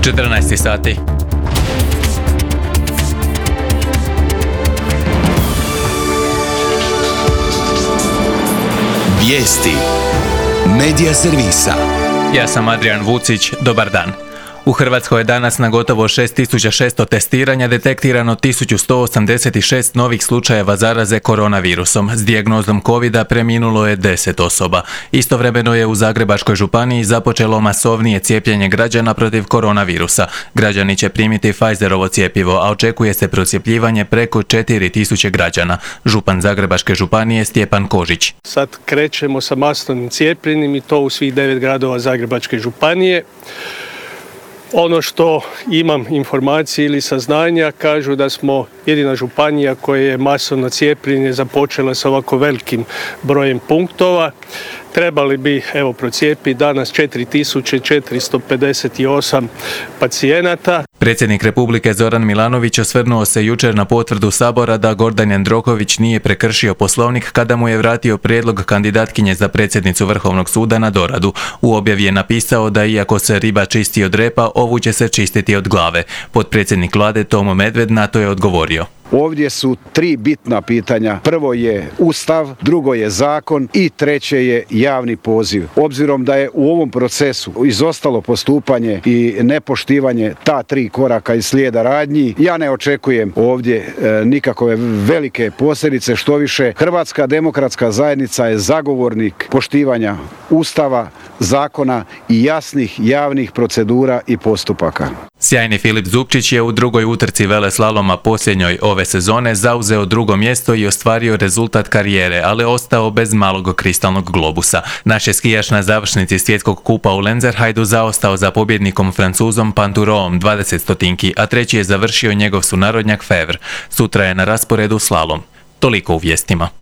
14 sati. Vijesti Medija servisa. Ja sam Adrian Vucić, dobar dan. U Hrvatskoj je danas na gotovo 6600 testiranja detektirano 1186 novih slučajeva zaraze koronavirusom. S dijagnozom covida preminulo je 10 osoba. Istovremeno je u Zagrebačkoj županiji započelo masovnije cijepljenje građana protiv koronavirusa. Građani će primiti Pfizerovo cjepivo, a očekuje se procjepljivanje preko 4000 građana. Župan Zagrebačke županije Stjepan Kožić. Sad krećemo sa masovnim cijepljenjem i to u svih 9 gradova Zagrebačke županije. Ono što imam informacije ili saznanja kažu da smo jedina županija koja je masovno cijepljenje započela sa ovako velikim brojem punktova. Trebali bi procijepiti danas 4458 pacijenata. Predsjednik Republike Zoran Milanović osvrnuo se jučer na potvrdu Sabora da Gordan Jandroković nije prekršio Poslovnik kada mu je vratio prijedlog kandidatkinje za predsjednicu Vrhovnog suda na doradu. U objavi je napisao da iako se riba čisti od repa, ovu će se čistiti od glave. Potpredsjednik vlade Tomo Medved na to je odgovorio. Ovdje su 3 bitna pitanja. Prvo je Ustav, drugo je zakon i treće je javni poziv. Obzirom da je u ovom procesu izostalo postupanje i nepoštivanje ta 3 koraka iz slijeda radnji, ja ne očekujem ovdje nikakove velike posljedice, što više Hrvatska demokratska zajednica je zagovornik poštivanja Ustava, zakona i jasnih javnih procedura i postupaka. Sjajni Filip Zupčić je u drugoj utrci veleslaloma posljednjoj ove sezone zauzeo 2. mjesto i ostvario rezultat karijere, ali ostao bez malog kristalnog globusa. Naš je skijaš na završnici svjetskog kupa u Lenzerheidu zaostao za pobjednikom Francuzom Panturoom 20 stotinki, a treći je završio njegov sunarodnjak Fevre. Sutra je na rasporedu slalom. Toliko u vijestima.